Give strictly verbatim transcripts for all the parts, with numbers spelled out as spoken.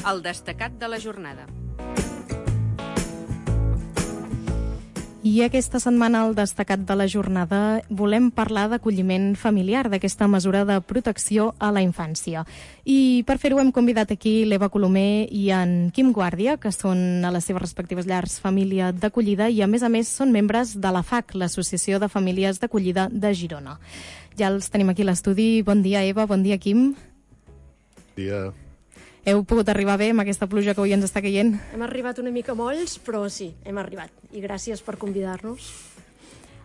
El destacat de la jornada. I aquesta setmana, al destacat de la jornada, volem parlar d'acolliment familiar, d'aquesta mesura de protecció a la infància. I per fer-ho hem convidat aquí l'Eva Colomer i en Quim Guàrdia, que són a les seves respectives llars família d'acollida i, a més a més, són membres de l'A F A C, l'Associació de Famílies d'Acollida de Girona. Ja els tenim aquí a l'estudi. Bon dia, Eva. Bon dia, Quim. Bon dia. Heu pogut arribar bé amb aquesta pluja que avui ens està caient? Hem arribat una mica molls, però sí, hem arribat. I gràcies per convidar-nos.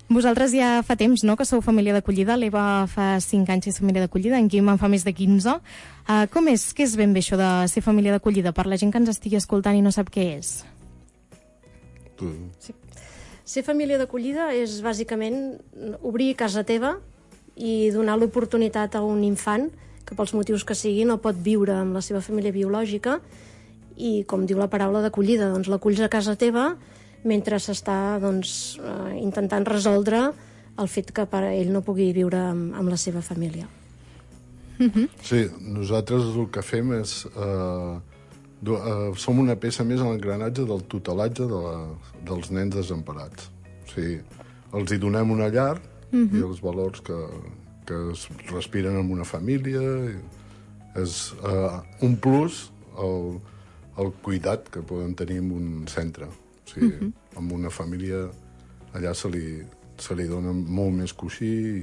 Vosaltres ja fa temps, no?, que sou família d'acollida. L'Eva fa cinc anys que és família d'acollida, en Quim en fa més de quinze. Uh, com és? Què és ben bé això de ser família d'acollida? Per la gent que ens estigui escoltant i no sap què és. Tu. Sí. Ser família d'acollida és bàsicament obrir casa teva i donar l'oportunitat a un infant que pels motius que sigui no pot viure amb la seva família biològica i, com diu la paraula d'acollida, doncs l'aculls a casa teva mentre s'està doncs, eh, intentant resoldre el fet que per ell no pugui viure amb, amb la seva família. Mm-hmm. Sí, nosaltres el que fem és... Eh, do, eh, som una peça més en l'engranatge del tutelatge de la, dels nens desemparats. O sigui, els hi donem una llar mm-hmm. i els valors que... que es respiren en una família. És uh, un plus el, el cuidat que poden tenir en un centre. O sigui, uh-huh. amb una família allà se li, se li dona molt més coixí.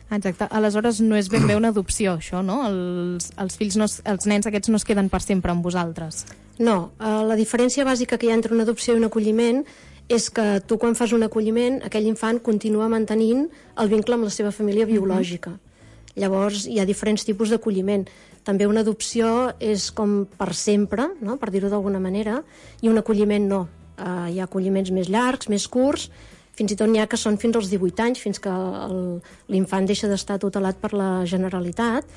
Exacte. Aleshores no és ben bé una adopció, això, no? Els, els fills, no, els nens aquests no es queden per sempre amb vosaltres. No, uh, la diferència bàsica que hi ha entre una adopció i un acolliment és que tu, quan fas un acolliment, aquell infant continua mantenint el vincle amb la seva família biològica. Uh-huh. Llavors, hi ha diferents tipus d'acolliment. També una adopció és com per sempre, no?, per dir-ho d'alguna manera, i un acolliment no. Uh, hi ha acolliments més llargs, més curts, fins i tot n'hi ha que són fins als divuit anys, fins que el, l'infant deixa d'estar tutelat per la Generalitat,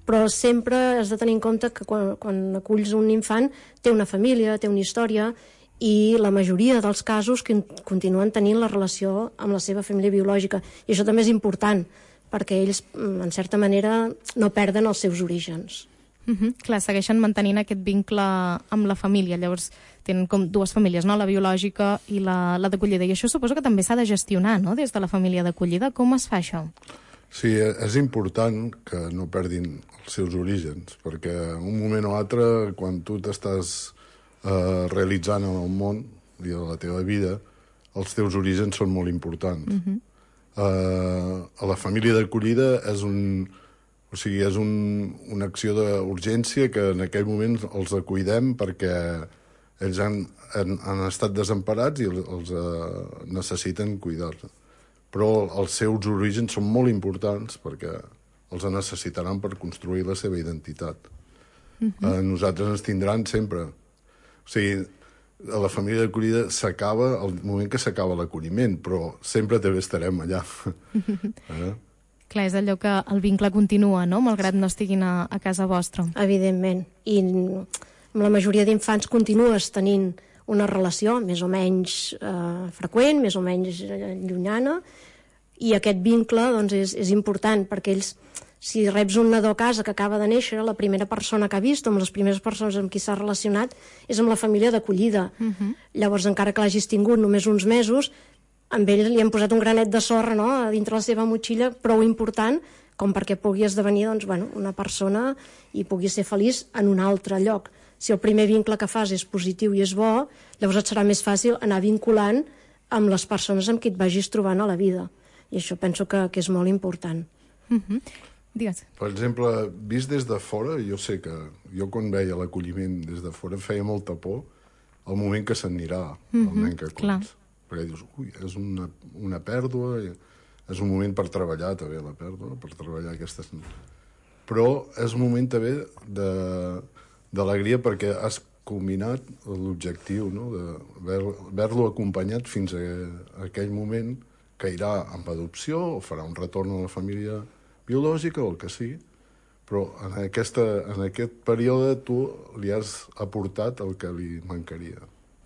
però sempre has de tenir en compte que quan, quan aculls un infant té una família, té una història, i la majoria dels casos que continuen tenint la relació amb la seva família biològica. I això també és important, perquè ells, en certa manera, no perden els seus orígens. Uh-huh. Clar, segueixen mantenint aquest vincle amb la família. Llavors tenen com dues famílies, no?, la biològica i la, la d'acollida. I això suposo que també s'ha de gestionar, no?, des de la família d'acollida. Com es fa això? Sí, és important que no perdin els seus orígens, perquè un moment o altre, quan tu t'estàs Uh, realitzant en el món i a la teva vida, els teus orígens són molt importants. Uh-huh. uh, a la família d'acollida és un, o sigui, és un, una acció d'urgència que en aquell moment els cuidem perquè ells han, han, han estat desemparats i els, els uh, necessiten cuidar-se. Però els seus orígens són molt importants perquè els necessitaran per construir la seva identitat. Uh-huh. uh, nosaltres ens tindran sempre. O sigui, a la família d'acollida s'acaba el moment que s'acaba l'acolliment, però sempre també estarem allà. eh? Clar, és allò que el vincle continua, no?, malgrat no estiguin a, a casa vostra. Evidentment. I amb la majoria d'infants continues tenint una relació més o menys eh, freqüent, més o menys llunyana, i aquest vincle doncs, és, és important, perquè ells, si reps un nadó a casa que acaba de néixer, la primera persona que ha vist, o amb les primeres persones amb qui s'ha relacionat, és amb la família d'acollida. Uh-huh. Llavors, encara que l'hagis tingut només uns mesos, amb ell li han posat un granet de sorra, no?, a dintre la seva motxilla, prou important com perquè pugui esdevenir doncs, bueno, una persona i pugui ser feliç en un altre lloc. Si el primer vincle que fas és positiu i és bo, llavors et serà més fàcil anar vinculant amb les persones amb qui et vagis trobant a la vida. I això penso que, que és molt important. Uh-huh. Digues. Per exemple, vist des de fora, jo sé que jo quan veia l'acolliment des de fora feia molta por el moment que s'anirà mm-hmm, el nen que acolls. Perquè dius, ui, és una, una pèrdua, és un moment per treballar també la pèrdua, per treballar aquestes... Però és un moment també de, d'alegria perquè has culminat l'objectiu, no?, d'haver-lo acompanyat fins a, a aquell moment que irà amb adopció o farà un retorn a la família biològica o el que sigui, però en, aquesta, en aquest període tu li has aportat el que li mancaria.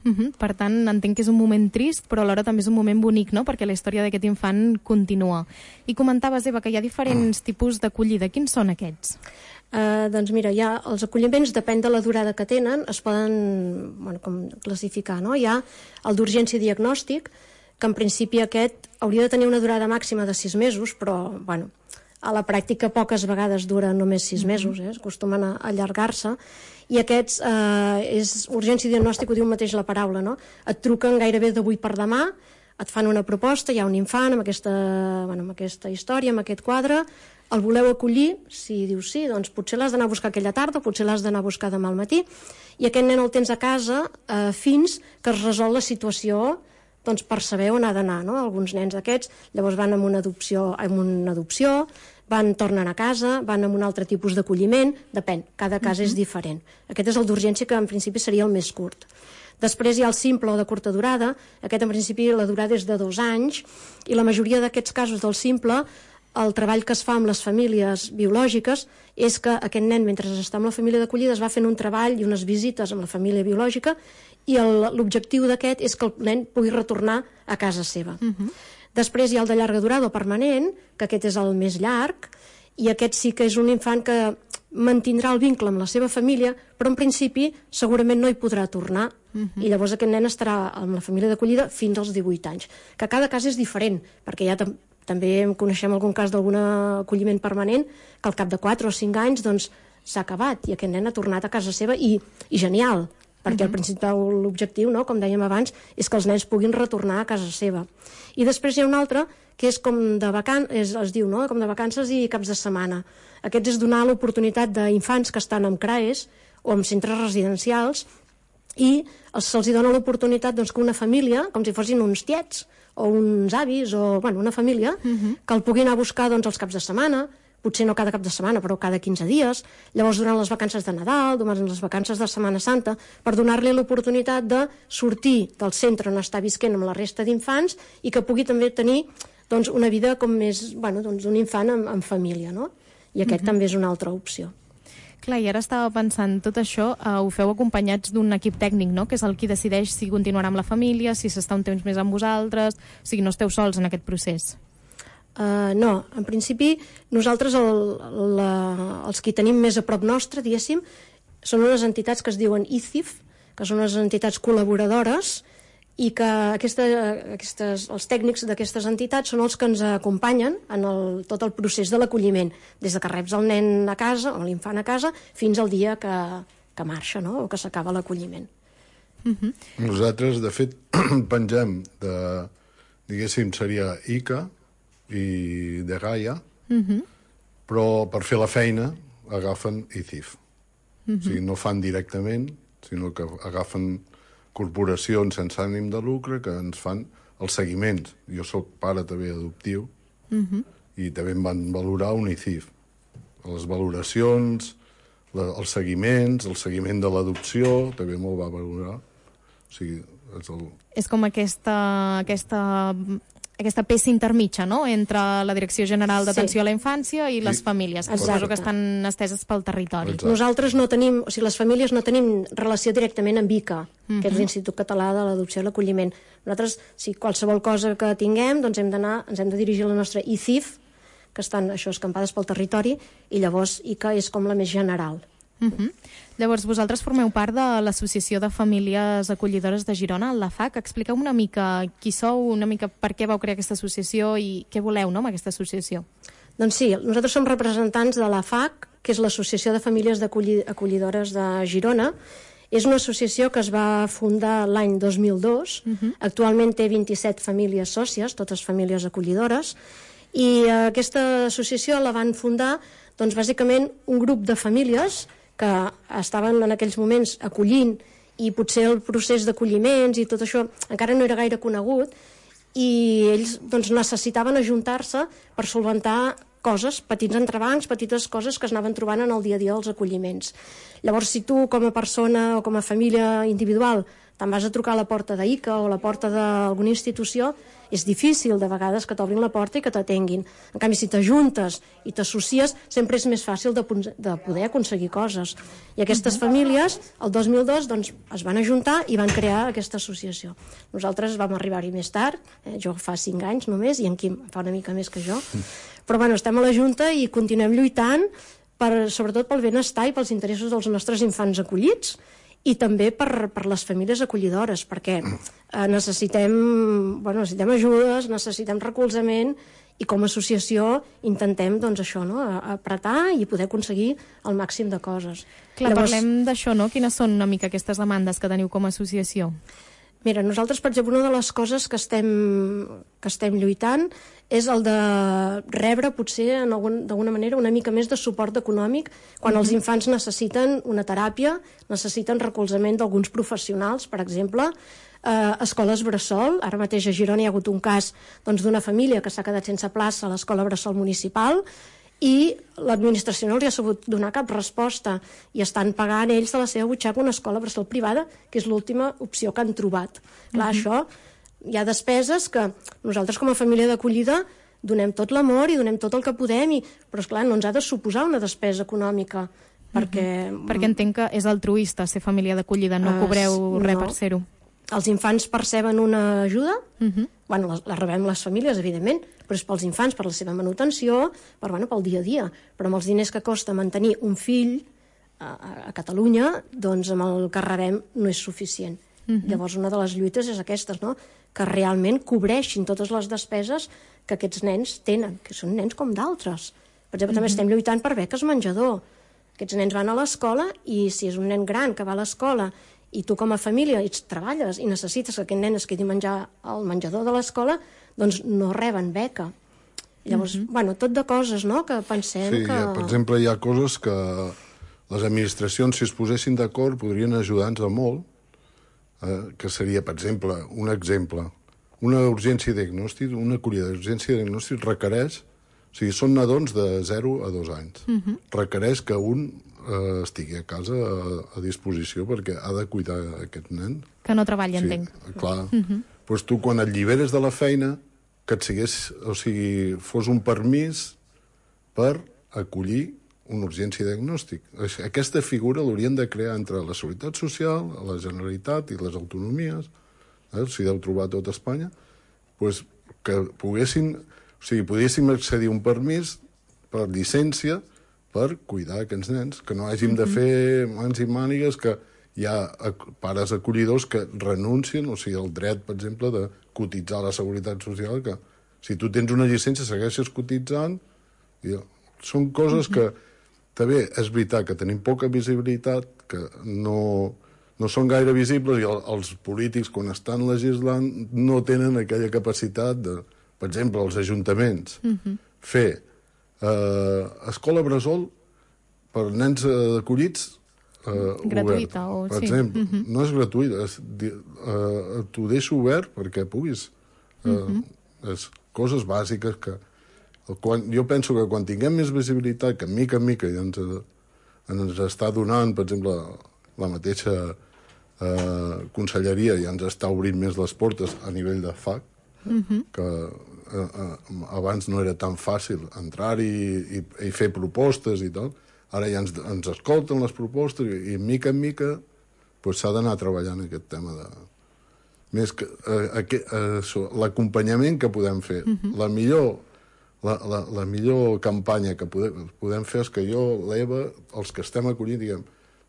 Uh-huh. Per tant, entenc que és un moment trist, però alhora també és un moment bonic, no?, perquè la història d'aquest infant continua. I comentaves, Eva, que hi ha diferents uh. tipus d'acollida. Quins són aquests? Uh, doncs mira, ja els acolliments, depèn de la durada que tenen, es poden bueno, com classificar, no? Hi ha el d'urgència i diagnòstic, que en principi aquest hauria de tenir una durada màxima de sis mesos, però bueno, a la pràctica poques vegades dura només sis mesos, eh? Acostumen a allargar-se, i aquests, eh, és urgència i diagnòstic, ho diu mateix la paraula, no? Et truquen gairebé d'avui per demà, et fan una proposta, hi ha un infant amb aquesta, bueno, amb aquesta història, amb aquest quadre, el voleu acollir? Si dius sí, doncs potser l'has d'anar a buscar aquella tarda, potser l'has d'anar a buscar demà al matí, i aquest nen el tens a casa eh, fins que es resol la situació, doncs per saber on ha d'anar, no? Alguns nens d'aquests llavors van amb una adopció, amb una adopció, van, tornen a casa, van amb un altre tipus d'acolliment, depèn, cada cas uh-huh. és diferent. Aquest és el d'urgència, que en principi seria el més curt. Després hi ha el simple o de curta durada, aquest en principi la durada és de dos anys, i la majoria d'aquests casos del simple, el treball que es fa amb les famílies biològiques és que aquest nen, mentre està amb la família d'acollida, es va fent un treball i unes visites amb la família biològica, i l'objectiu d'aquest és que el nen pugui retornar a casa seva. Uh-huh. Després hi ha el de llarga durada o permanent, que aquest és el més llarg, i aquest sí que és un infant que mantindrà el vincle amb la seva família, però en principi segurament no hi podrà tornar, uh-huh. i llavors aquest nen estarà amb la família d'acollida fins als divuit anys. Que cada cas és diferent, perquè ja tam també coneixem algun cas d'algun acolliment permanent que al cap de quatre o cinc anys doncs s'ha acabat i aquest nen ha tornat a casa seva i, i genial, perquè uh-huh. el principal l'objectiu, no, com dèiem abans, és que els nens puguin retornar a casa seva. I després hi ha un altre que és com de vacances, es diu, no?, com de vacances i caps de setmana. Aquest és donar l'oportunitat d'infants que estan en C R A Es o en centres residencials i se'ls dona l'oportunitat doncs, que una família, com si fossin uns tiets o uns avis o bueno, una família, uh-huh. que el pugui anar a buscar doncs, els caps de setmana, potser no cada cap de setmana, però cada quinze dies, llavors durant les vacances de Nadal, durant les vacances de Setmana Santa, per donar-li l'oportunitat de sortir del centre on està visquent amb la resta d'infants i que pugui també tenir doncs, una vida com més, bueno, doncs, un infant amb, amb família, no? I aquest uh-huh. també és una altra opció. Clar, i ara estava pensant, tot això eh, ho feu acompanyats d'un equip tècnic, no?, que és el qui decideix si continuarà amb la família, si s'està un temps més amb vosaltres, o sigui, no esteu sols en aquest procés. Uh, no, en principi nosaltres el, la, els que tenim més a prop nostre, diguéssim, són unes entitats que es diuen I C I F, que són unes entitats col·laboradores i que aquesta, aquestes, els tècnics d'aquestes entitats són els que ens acompanyen en el, tot el procés de l'acolliment, des de que reps el nen a casa o l'infant a casa fins al dia que, que marxa, no?, o que s'acaba l'acolliment. Uh-huh. Nosaltres, de fet, pengem de, diguéssim, seria I C A i de Gaia, uh-huh. però per fer la feina agafen I C I F. Uh-huh. O sigui, no fan directament, sinó que agafen corporacions sense ànim de lucre que ens fan els seguiments. Jo sóc pare també adoptiu uh-huh. i també em van valorar un I C I F. Les valoracions, la, els seguiments, el seguiment de l'adopció, també me'l va valorar. O sigui, és, el... és com aquesta... aquesta... aquesta peça intermitja, no?, entre la Direcció General d'Atenció sí. a la Infància i les sí. famílies, que suposo que estan esteses pel territori. Exacte. Nosaltres no tenim, o sigui, les famílies no tenim relació directament amb I C A, uh-huh. que és l'Institut Català de l'Adopció i l'Acolliment. Nosaltres, si qualsevol cosa que tinguem, doncs hem d'anar, ens hem de dirigir a la nostra I C I F, que estan, això, escampades pel territori, i llavors I C A és com la més general. Uh-huh. Llavors, vosaltres formeu part de l'Associació de Famílies Acollidores de Girona, la F A C. Expliqueu una mica qui sou, una mica per què vau crear aquesta associació i què voleu, no?, amb aquesta associació. Doncs sí, nosaltres som representants de la F A C, que és l'Associació de Famílies Acollidores de Girona. És una associació que es va fundar l'any dos mil dos, uh-huh. actualment té vint-i-set famílies sòcies, totes famílies acollidores, i aquesta associació la van fundar, doncs, bàsicament un grup de famílies que estaven en aquells moments acollint i potser el procés d'acolliments i tot això encara no era gaire conegut i ells doncs, necessitaven ajuntar-se per solventar coses, petits entrebancs, petites coses que es anaven trobant en el dia a dia dels acolliments. Llavors, si tu com a persona o com a família individual te'n vas a trucar a la porta d'I C A o a la porta d'alguna institució, és difícil de vegades que t'obrin la porta i que t'atenguin. En canvi, si t'ajuntes i t'associes, sempre és més fàcil de, de poder aconseguir coses. I aquestes famílies, el dos mil dos, doncs, es van ajuntar i van crear aquesta associació. Nosaltres vam arribar-hi més tard, eh, jo fa cinc anys només, i en Quim fa una mica més que jo. Però bueno, estem a la Junta i continuem lluitant per, sobretot pel benestar i pels interessos dels nostres infants acollits, i també per, per les famílies acollidores, perquè eh, necessitem, bueno, necessitem ajudes, necessitem recolzament, i com a associació intentem doncs, això, no? apretar i poder aconseguir el màxim de coses. Clar, Llavors, parlem d'això, no? Quines són una mica aquestes demandes que teniu com a associació? Mira, nosaltres, per exemple, una de les coses que estem, que estem lluitant és el de rebre, potser, d'alguna manera, una mica més de suport econòmic quan mm-hmm. els infants necessiten una teràpia, necessiten recolzament d'alguns professionals, per exemple, eh, escoles bressol. Ara mateix a Girona hi ha hagut un cas doncs, d'una família que s'ha quedat sense plaça a l'escola bressol municipal, i l'administració no li ha sabut donar cap resposta i estan pagant ells de la seva butxaca una escola bressol privada, que és l'última opció que han trobat. Clar, uh-huh. això hi ha despeses que nosaltres com a família d'acollida donem tot l'amor i donem tot el que podem, i, però esclar, no ens ha de suposar una despesa econòmica, perquè... Uh-huh. Perquè entenc que és altruista ser família d'acollida, no uh, cobreu no. res per ser-ho. Els infants perceben una ajuda, uh-huh. bueno, la, la rebem les famílies, evidentment, però és pels infants, per la seva manutenció, per, bueno, pel dia a dia. Però amb els diners que costa mantenir un fill a, a, a Catalunya, doncs amb el que rebem no és suficient. Uh-huh. Llavors, una de les lluites és aquestes, no? Que realment cobreixin totes les despeses que aquests nens tenen, que són nens com d'altres. Per exemple, uh-huh. també estem lluitant per beques menjador. Aquests nens van a l'escola i si és un nen gran que va a l'escola i tu com a família ets, treballes i necessites que aquest nen es quedi a menjar al menjador de l'escola, doncs no reben beca. Llavors, uh-huh. bueno, tot de coses, no?, que pensem sí, que... Sí, per exemple, hi ha coses que les administracions, si es posessin d'acord, podrien ajudar-nos a molt, eh, que seria, per exemple, un exemple, una urgència diagnòstic, una acollida d'urgència diagnòstic requereix, o sigui, són nadons de zero a dos anys, uh-huh. requereix que un eh, estigui a casa a, a disposició perquè ha de cuidar aquest nen. Que no treballi, sí, entenc. Clar. Uh-huh. Pues tu, quan et lliberes de la feina, que et sigués, o sigui, fos un permís per acollir una urgència diagnòstic. Aquesta figura l'haurien de crear entre la Seguretat Social, la Generalitat i les autonomies, eh, si deu trobar tot Espanya, pues, que poguessin, o sigui, poguéssim accedir a un permís per llicència per cuidar aquests nens, que no hàgim de fer mans i mànigues, que hi ha pares acollidors que renuncien, o sigui, el dret, per exemple, de cotitzar a la Seguretat Social, que si tu tens una llicència segueixes cotitzant, i són coses que també és veritat que tenim poca visibilitat, que no, no són gaire visibles, i el, els polítics, quan estan legislant, no tenen aquella capacitat de, per exemple, els ajuntaments, uh-huh. fer eh, escola bressol per nens eh, acollits Uh, gratuïta, obert. o Per sí. exemple, uh-huh. no és gratuïta, és, uh, t'ho deixo obert perquè puguis. Uh, uh-huh. És coses bàsiques que... Quan, jo penso que quan tinguem més visibilitat, que mica en mica ja ens, ens està donant, per exemple, la mateixa uh, conselleria ja ens està obrint més les portes a nivell de F A C, uh-huh. que uh, uh, abans no era tan fàcil entrar-hi i, i fer propostes i tal. Ara ja ens, ens escolten les propostes i, i mica en mica pues, s'ha d'anar treballant aquest tema de... Més que eh, eh, l'acompanyament que podem fer. Uh-huh. La millor la, la, la millor campanya que podem, podem fer és que jo, l'Eva, els que estem acollint, diguem,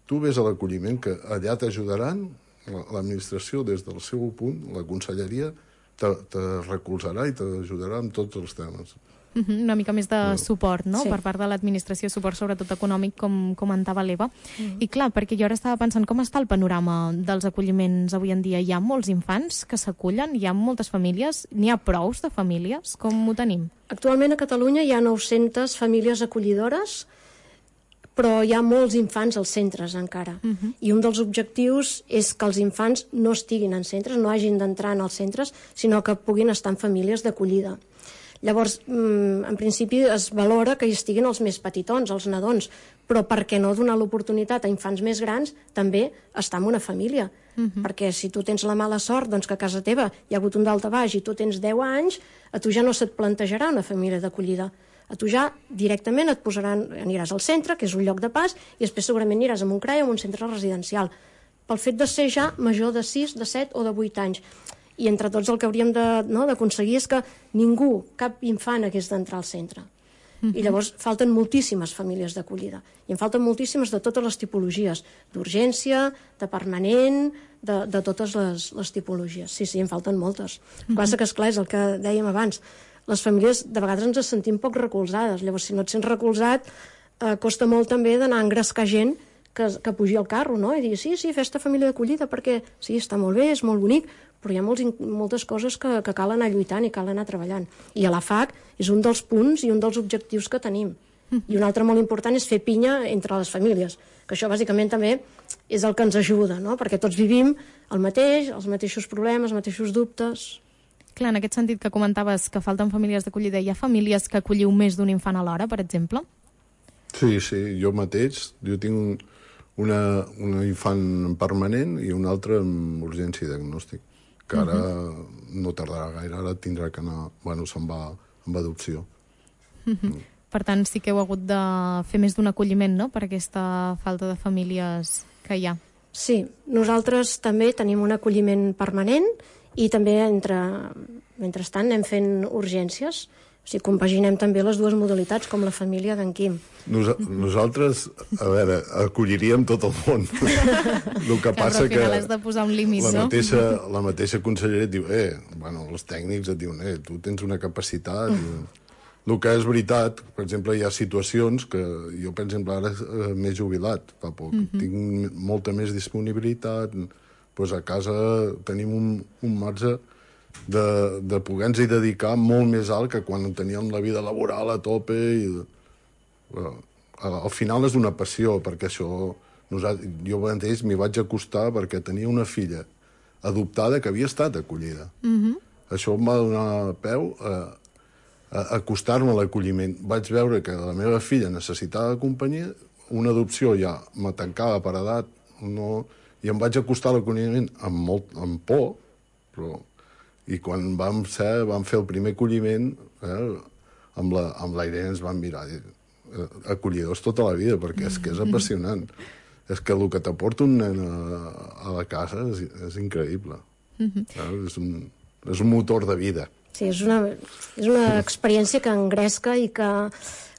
tu ves a l'acolliment, que allà t'ajudaran, l'administració des del seu punt, la conselleria, te, te recolzarà i t'ajudarà en tots els temes. Uh-huh, una mica més de suport, no?, sí. per part de l'administració, suport sobretot econòmic, com comentava l'Eva. Uh-huh. I clar, perquè jo ara estava pensant com està el panorama dels acolliments avui en dia. Hi ha molts infants que s'acullen, hi ha moltes famílies, n'hi ha prous de famílies? Com ho tenim? Actualment a Catalunya hi ha nou-centes famílies acollidores, però hi ha molts infants als centres encara. Uh-huh. I un dels objectius és que els infants no estiguin en centres, no hagin d'entrar en els centres, sinó que puguin estar en famílies d'acollida. Llavors, en principi, es valora que hi estiguin els més petitons, els nadons, però per què no donar l'oportunitat a infants més grans també estar en una família? Uh-huh. Perquè si tu tens la mala sort doncs, que a casa teva hi ha hagut un daltabaix i tu tens deu anys, a tu ja no se't plantejarà una família d'acollida. A tu ja directament et posaran, aniràs al centre, que és un lloc de pas, i després segurament aniràs a un C R A I o a un centre residencial. Pel fet de ser ja major de sis, de set o de vuit anys. I entre tots el que hauríem de, no, d'aconseguir és que ningú, cap infant, hagués d'entrar al centre. I llavors falten moltíssimes famílies d'acollida. I en falten moltíssimes de totes les tipologies, d'urgència, de permanent, de, de totes les, les tipologies. Sí, sí, en falten moltes. El que passa que, esclar, és el que dèiem abans. Les famílies, de vegades, ens sentim poc recolzades. Llavors, si no et sents recolzat, eh, costa molt també d'anar a engrescar gent que, que pugi al carro, no? I dir, sí, sí, festa família d'acollida, perquè sí, està molt bé, és molt bonic, però hi ha molts, moltes coses que, que cal anar lluitant i cal anar treballant. I a la F A C és un dels punts i un dels objectius que tenim. I un altre molt important és fer pinya entre les famílies, que això bàsicament també és el que ens ajuda, no? Perquè tots vivim el mateix, els mateixos problemes, els mateixos dubtes. Clar, en aquest sentit que comentaves que falten famílies d'acollida, hi ha famílies que acolliu més d'un infant alhora, per exemple? Sí, sí, jo mateix, jo tinc una, una infant permanent i una altra amb urgència i diagnòstic, que ara uh-huh. no tardarà gaire, ara tindrà que anar, bueno, se'n va amb adopció. Uh-huh. Mm. Per tant, sí que heu hagut de fer més d'un acolliment, no?, per aquesta falta de famílies que hi ha. Sí, nosaltres també tenim un acolliment permanent i també, entre, mentrestant, anem fent urgències. O sigui, compaginem també les dues modalitats, com la família d'en Quim. Nos, nosaltres, a veure, acolliríem tot el món. El que passa que... Però al final que has de posar un límit, la no? Mateixa, la mateixa consellera et diu, eh, bueno, els tècnics et diuen, eh, tu tens una capacitat... I... El que és veritat, per exemple, hi ha situacions que jo, per exemple, ara eh, m'he jubilat fa poc, uh-huh. tinc molta més disponibilitat, doncs a casa tenim un, un marge de, de poder-nos-hi dedicar molt més alt que quan teníem la vida laboral a tope. I, bueno, al final és una passió, perquè això... Nosaltres, jo mateix m'hi vaig acostar perquè tenia una filla adoptada que havia estat acollida. Uh-huh. Això em va donar peu a... acostar-me a l'acolliment. Vaig veure que la meva filla necessitava companyia, una adopció ja me tancava per edat, no... i em vaig acostar a l'acolliment amb, molt, amb por, però... i quan vam, ser, vam fer el primer acolliment, eh, amb, la, amb la Irene ens vam mirar, eh, acollidors tota la vida, perquè és que és apassionant. És que el que t'aporta un nen a, a la casa és, és increïble. Eh, és, un, és un motor de vida. Sí, és una, és una experiència que engresca i que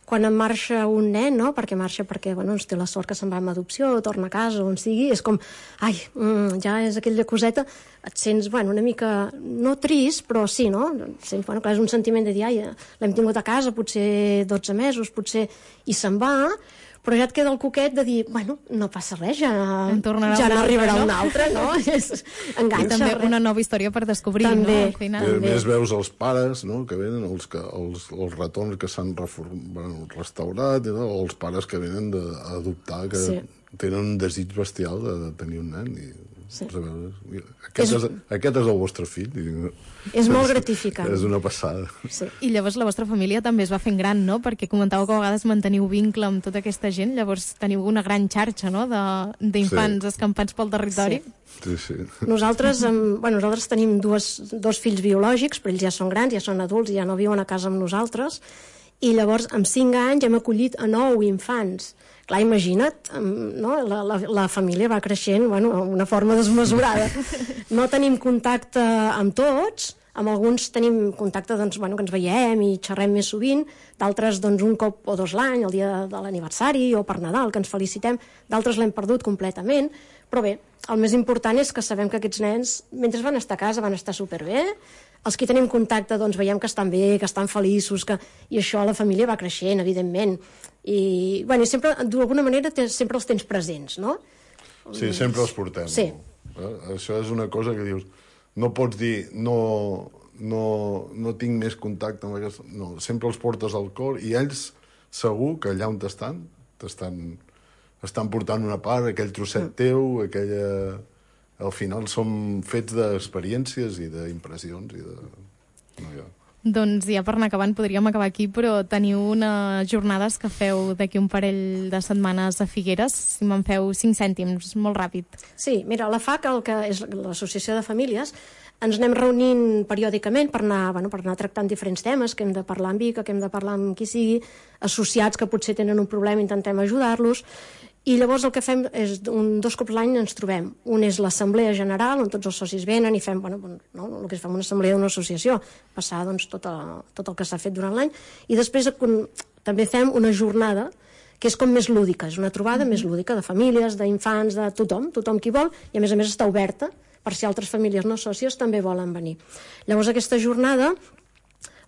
quan en marxa un nen, no? Perquè marxa perquè, bueno, ens té la sort que se'n va amb adopció, torna a casa, on sigui, és com, ai, mm, ja és aquella coseta, et sents, bueno, una mica, no trist, però sí, no? Sents, bueno, clar, és un sentiment de dir, ai, l'hem tingut a casa potser dotze mesos, potser, i se'n va, però ja et queda el coquet de dir, bueno, no passa res, ja, ja n'arribarà un altre, no? Enganxa. I també una nova història per descobrir, també, no? Al final. I a més veus els pares, no?, que venen, els, que, els, els retorns que s'han bueno, restaurat, no? O els pares que venen d'adoptar, que sí. tenen un desig bestial de, de tenir un nen. I, sí. aquest, és, és, aquest és el vostre fill. I, és molt gratificant. És una passada. Sí. I llavors la vostra família també es va fent gran, no? Perquè comentàveu que a vegades manteniu vincle amb tota aquesta gent, llavors teniu una gran xarxa, no?, d'infants sí. escampats pel territori. Sí. Sí, sí. Nosaltres, um, bueno, nosaltres tenim dues, dos fills biològics, però ells ja són grans, ja són adults, ja no viuen a casa amb nosaltres, i llavors, amb cinc anys, hem acollit a nou infants. Clar, imagina't, no? la, la, la família va creixent, bueno, d'una forma desmesurada. No tenim contacte amb tots, amb alguns tenim contacte, doncs, bueno, que ens veiem i xerrem més sovint, d'altres doncs, un cop o dos l'any, el dia de l'aniversari o per Nadal, que ens felicitem, d'altres l'hem perdut completament, però bé, el més important és que sabem que aquests nens, mentre van estar a casa, van estar superbé, els que tenim contacte doncs, veiem que estan bé, que estan feliços, que... i això la família va creixent, evidentment. I, bueno, sempre, d'alguna manera, te, sempre els tens presents, no? Sí, sempre els portem. Sí. No? Això és una cosa que dius, no pots dir, no, no, no tinc més contacte amb aquests... No, sempre els portes al cor i ells, segur que allà on t'estan, t'estan estan portant una part, aquell trosset teu, aquella... Al final som fets d'experiències i d'impressions i de... No, ja. Doncs ja per anar acabant podríem acabar aquí, però teniu unes jornades que feu d'aquí un parell de setmanes a Figueres, si me'n feu cinc cèntims, molt ràpid. Sí, mira, la F A C, el que és l'Associació de Famílies, ens anem reunint periòdicament per anar, bueno, per anar tractant diferents temes, que hem de parlar amb Vic, que hem de parlar amb qui sigui, associats que potser tenen un problema, intentem ajudar-los. I llavors el que fem és, un, dos cops l'any ens trobem. Un és l'assemblea general, on tots els socis venen i fem, bueno, no, el que fem una assemblea d'una associació, passar doncs, tot, el, tot el que s'ha fet durant l'any, i després també fem una jornada que és com més lúdica, és una trobada mm-hmm. més lúdica de famílies, d'infants, de tothom, tothom qui vol, i a més a més està oberta per si altres famílies no sòcies també volen venir. Llavors aquesta jornada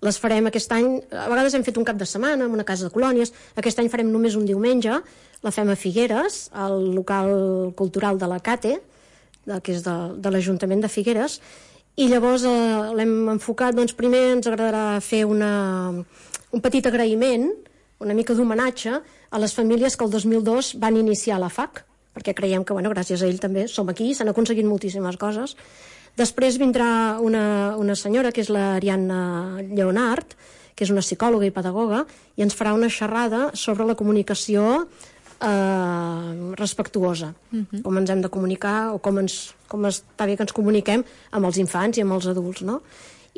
les farem aquest any, a vegades hem fet un cap de setmana en una casa de colònies, aquest any farem només un diumenge, la fem a Figueres, al local cultural de la Cate, de, que és de, de l'Ajuntament de Figueres, i llavors eh, l'hem enfocat, doncs primer ens agradarà fer una, un petit agraïment, una mica d'homenatge a les famílies que el dos mil dos van iniciar la F A C, perquè creiem que, bueno, gràcies a ell també som aquí, s'han aconseguit moltíssimes coses. Després vindrà una, una senyora, que és l'Ariadna Lleonard, que és una psicòloga i pedagoga, i ens farà una xerrada sobre la comunicació eh, respectuosa, uh-huh. com ens hem de comunicar, o com, ens, com està bé que ens comuniquem amb els infants i amb els adults, no?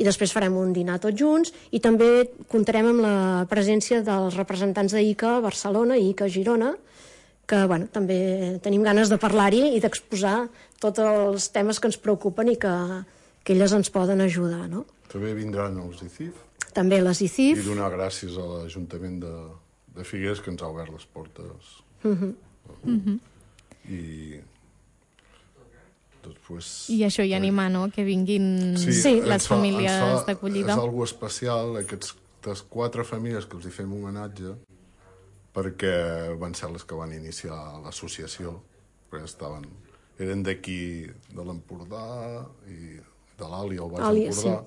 I després farem un dinar tots junts i també comptarem amb la presència dels representants d'I C A a Barcelona i I C A a Girona, que bueno, també tenim ganes de parlar-hi i d'exposar tots els temes que ens preocupen i que, que elles ens poden ajudar, no? També vindran els I C I F. També les I C I F. I donar gràcies a l'Ajuntament de, de Figueres que ens ha obert les portes. Uh-huh. Uh-huh. I... Pues, I això i animar, no?, que vinguin sí, sí, les fa, famílies d'acollida. És algo especial, aquestes quatre famílies que els hi fem homenatge, perquè van ser les que van iniciar l'associació, perquè estaven, eren d'aquí, de l'Empordà, i de l'Àlia, o Baix Àlia, Empordà,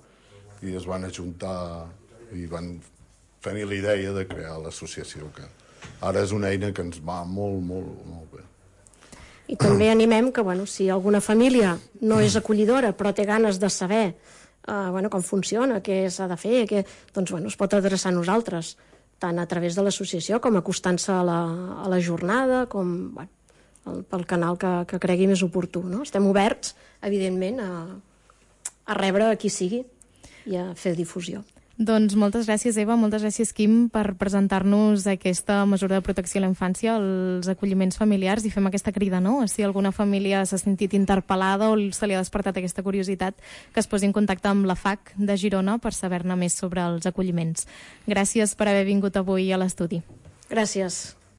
sí. i es van ajuntar i van tenir la idea de crear l'associació, que ara és una eina que ens va molt, molt, molt bé. I també animem que, bueno, si alguna família no és acollidora però té ganes de saber eh, bueno, com funciona, què s'ha de fer, que, doncs bueno, es pot adreçar a nosaltres, tant a través de l'associació com acostant-se a, la, a la jornada, com bueno, el, pel canal que, que cregui més oportú. No? Estem oberts, evidentment, a, a rebre a qui sigui i a fer difusió. Doncs moltes gràcies, Eva, moltes gràcies, Quim, per presentar-nos aquesta mesura de protecció a la infància, els acolliments familiars, i fem aquesta crida, no? Si alguna família s'ha sentit interpel·lada o se li ha despertat aquesta curiositat, que es posi en contacte amb la F A C de Girona per saber-ne més sobre els acolliments. Gràcies per haver vingut avui a l'estudi. Gràcies.